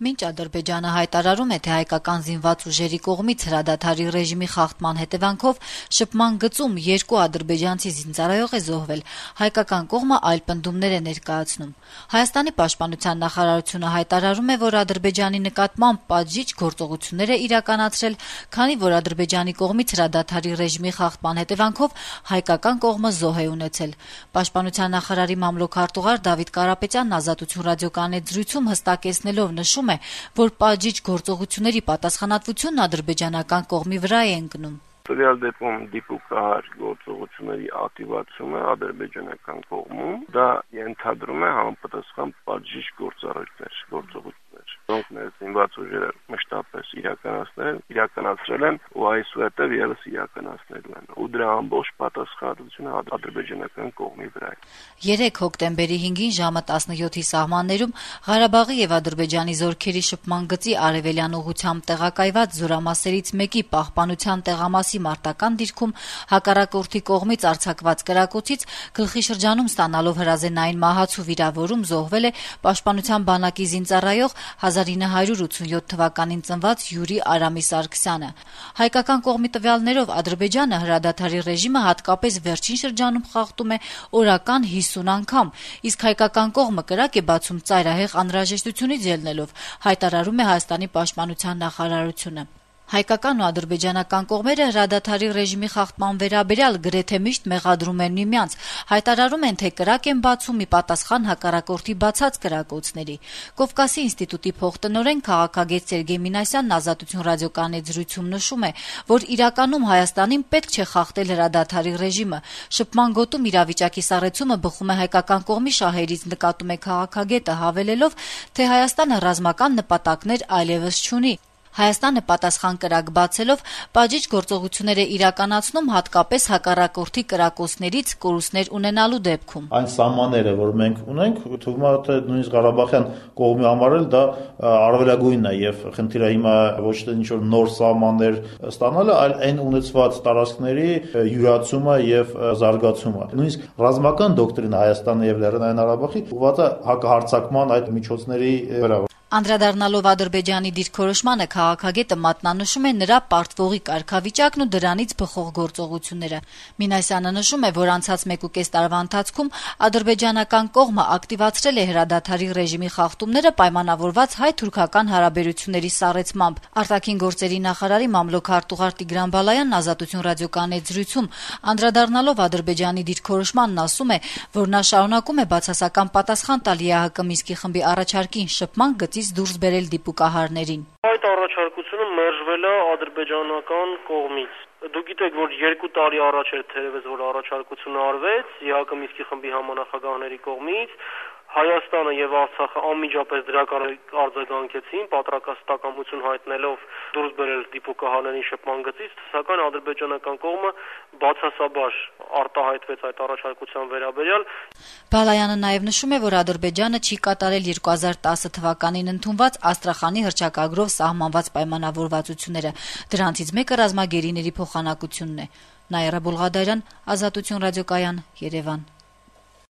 Մինչ Ադրբեջանը հայտարարում է, թե հայկական զինված ուժերի կողմից հրադադարի ռեժիմի խախտման հետևանքով շփման գծում 2 ադրբեջանցի զինծառայող է զոհվել, հայկական կողմը այլ պնդումներ է ներկայացնում։ Հայաստանի պաշտպանության նախարարությունը հայտարարում է, որ Ադրբեջանի նկատմամբ պատժիչ գործողություններ է իրականացրել, քանի որ Ադրբեջանի կողմից հրադադարի ռեժիմի խախտման հետևանքով հայկական կողմը զոհ է ունեցել։ Պաշտպանության նախարարի մամլոք-արտուղար Դավիթ Կարապետյանն Ազատություն ռադիոկայանի զրույցում հստակեցնելով նշում է, որ պատժիչ գործողությունների պատասխանատվությունն ադրբեջանական կողմի վրա է ընկնում։ Տվյալ դեպքում դիպուկահար գործողությունների ակտիվացումը ադրբեջանական կողմում դա ենթադրում է համապատասխան պատժիչ գործողություններ, որոնք մեր զինված ուժերը մշտապես իրականացրել են ու այսուհետև ևս իրականացնելու են։ Ու դրա ամբողջ պատասխանատվությունը ադրբեջանական կողմի վրա է։ 3 հոկտեմբերի 5-ին ժամը 17-ի սահմաններում Ղարաբաղի եւ Ադրբեջանի զորքերի շփման գծի արևելյան ուղղությամբ տեղակայված զորամասերից մեկի պահպանության տեղամասի մարտական դիրքում հակառակորդի կողմից արձակված կրակոցից գլխի շրջանում ստանալով հրազենային մահացու վիրավորում զոհվել է Պաշտպանության բանակի զինծառայող 1987 թվականին ծնված Յուրի Արամի Սարգսյանը։ Հայկական կողմի տվյալներով Ադրբեջանը հրադադարի ռեժիմը հատկապես վերջին շրջանում խախտում է օրական 50 անգամ, իսկ հայկական կողմը կրակ է բացում ծայրահեղ անհրաժեշտությունից ելնելով, հայտարարում է Հայաստանի պաշտպանության նախարարությունը։ Հայկական ու ադրբեջանական կողմերը հրադադարի ռեժիմի խախտման վերաբերյալ գրեթե միշտ մեղադրում են միմյանց, հայտարարում են, թե կրակ են բացում ի պատասխան հակառակորդի բացած կրակոցների։ Կովկասի ինստիտուտի փոխտնօրեն քաղաքագետ Սերգեյ Մինասյանն Ազատություն ռադիոկայանի զրույցում նշում է, որ իրականում Հայաստանին պետք չէ խախտել հրադադարի ռեժիմը։ Շփման գոտում իրավիճակի սառեցումը բխում է հայկական կողմի շահերից, նկատում է քաղաքագետը, հավելելով, թե Հայաստանը ռազմական նպատակներ այլևս չունի։ Հայաստանը պատասխան կրակ բացելով պատժիչ գործողություններ է իրականացնում հատկապես հակառակորդի կրակոցներից կորուստներ ունենալու դեպքում։ Այն սահմանները, որ մենք ունենք, թվում է թե նույնիսկ Ղարաբաղյան կողմի համար էլ դա առավելագույնն է եւ խնդիրը հիմա ոչ թե ինչ-որ նոր սահմաններ ստանալը, այլ այն ունեցված տարածքների յուրացումը եւ զարգացումը։ Նույնիսկ ռազմական դոկտրինը Հայաստանի եւ Լեռնային Ղարաբաղի ուղղված է հակահարձակման այդ միջոցների վրա։ Անդրադառնալով Ադրբեջանի դիրքորոշմանը քաղաքագետը մատնանշում է նրա պարտվողի կարգավիճակն ու դրանից բխող գործողությունները։ Մինասյանը նշում է, որ անցած 1.5 տարվա ընթացքում ադրբեջանական կողմը ակտիվացրել է հրադադարի ռեժիմի խախտումները պայմանավորված հայ-թուրքական հարաբերությունների սառեցմամբ։ Արտաքին գործերի նախարարի մամլոք-արտուղար Տիգրան Բալայանն Ազատություն ռադիոկայանի զրույցում անդրադառնալով Ադրբեջանի դիրքորոշմանն ասում է, որ նա շարունակում է բացասական պատասխան տալ ԵԱՀԿ Մինսկի խմբի առաջարկին շփման գծից դուրս բերել դիպուկահարներին։ Այդ առաջարկությունը մերժվել է ադրբեջանական կողմից։ Դուք գիտեք, որ 2 տարի առաջ էր թերևս որ առաջարկությունը արվեց ԵԱՀԿ Մինսկի խմբի համանախագահների կողմից։ Հայաստանը եւ Արցախը անմիջապես դրական արձագանքեցին, պատրաստակամություն հայտնելով դուրս բերել դիպուկահարների շփման գծից, սակայն ադրբեջանական կողմը բացասաբար արտահայտվեց այդ առաջարկության վերաբերյալ։ Բալայանը նաեւ նշում է, որ Ադրբեջանը չի կատարել 2010 թվականին ընդունված Աստրախանի հռչակագրով սահմանված պայմանավորվածությունները։ Դրանցից մեկը ռազմագերիների փոխանակությունն է։ Նաիրա Բուլղադարյան, Ազատություն ռադիոկայան, Երևան։